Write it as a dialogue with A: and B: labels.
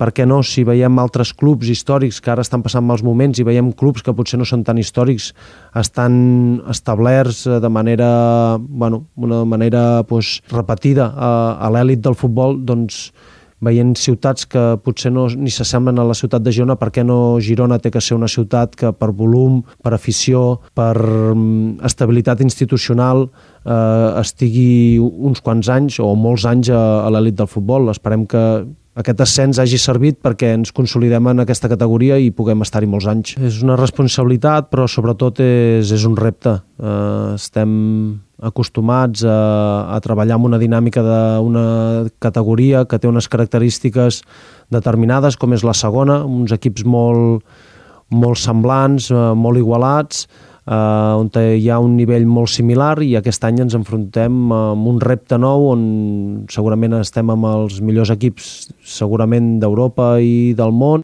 A: per què no, si veiem altres clubs històrics que ara estan passant mals moments i veiem clubs que potser no són tan històrics, estan establerts de manera, una manera repetida a l'èlit del futbol, doncs veient ciutats que potser ni s'assemblen a la ciutat de Girona, per què no Girona té que ser una ciutat que per volum, per afició, per estabilitat institucional estigui uns quants anys o molts anys a l'èlit del futbol. Esperem que aquest ascens hagi servit perquè ens consolidem en aquesta categoria i puguem estar-hi molts anys. És una responsabilitat, però sobretot és un repte. Estem acostumats a treballar amb una dinàmica d'una categoria que té unes característiques determinades, com és la segona, uns equips molt semblants, molt igualats, on hi ha un nivell molt similar, i aquest any ens enfrontem amb un repte nou on segurament estem amb els millors equips segurament d'Europa i del món.